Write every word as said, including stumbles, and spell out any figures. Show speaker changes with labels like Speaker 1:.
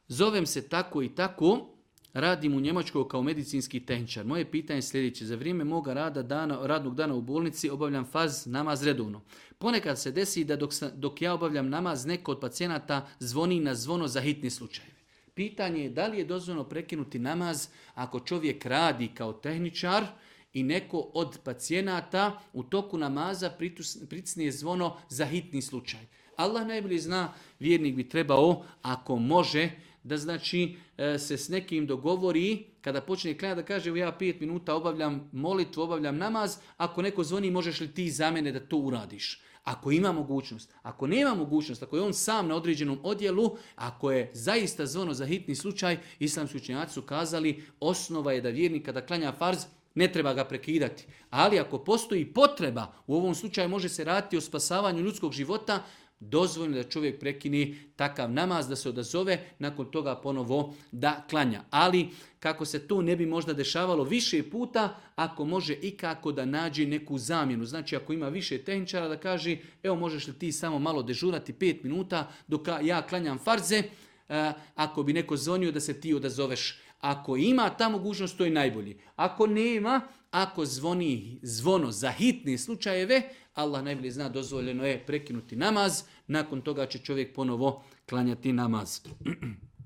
Speaker 1: Zovem se tako i tako, radim u Njemačkoj kao medicinski tehničar. Moje pitanje je sljedeće. Za vrijeme moga rada dana, radnog dana u bolnici obavljam farz namaz redovno. Ponekad se desi da dok, sam, dok ja obavljam namaz, neko od pacijenata zvoni na zvono za hitni slučajeve. Pitanje je da li je dozvoljeno prekinuti namaz ako čovjek radi kao tehničar i neko od pacijenata u toku namaza pritisne zvono za hitni slučaj. Allah najbolje zna, vjernik bi trebao, ako može, da znači se s nekim dogovori, kada počne klanjati da kaže ja pet minuta obavljam molitvu, obavljam namaz, ako neko zvoni možeš li ti za mene da to uradiš. Ako ima mogućnost, ako nema mogućnost, ako je on sam na određenom odjelu, ako je zaista zvono za hitni slučaj, islamski učenjaci su kazali osnova je da vjernik kada klanja farz, ne treba ga prekidati. Ali ako postoji potreba, u ovom slučaju može se raditi o spasavanju ljudskog života, dozvoljeno da čovjek prekini takav namaz, da se odazove, nakon toga ponovo da klanja. Ali kako se to ne bi možda dešavalo više puta, ako može ikako da nađe neku zamjenu. Znači ako ima više tehničara da kaže, evo možeš li ti samo malo dežurati pet minuta dok ja klanjam farze, ako bi neko zvonio da se ti odazoveš. Ako ima ta mogućnost, to je najbolji. Ako nema, ako zvoni zvono za hitne slučajeve, Allah najbolje zna, dozvoljeno je prekinuti namaz, nakon toga će čovjek ponovo klanjati namaz.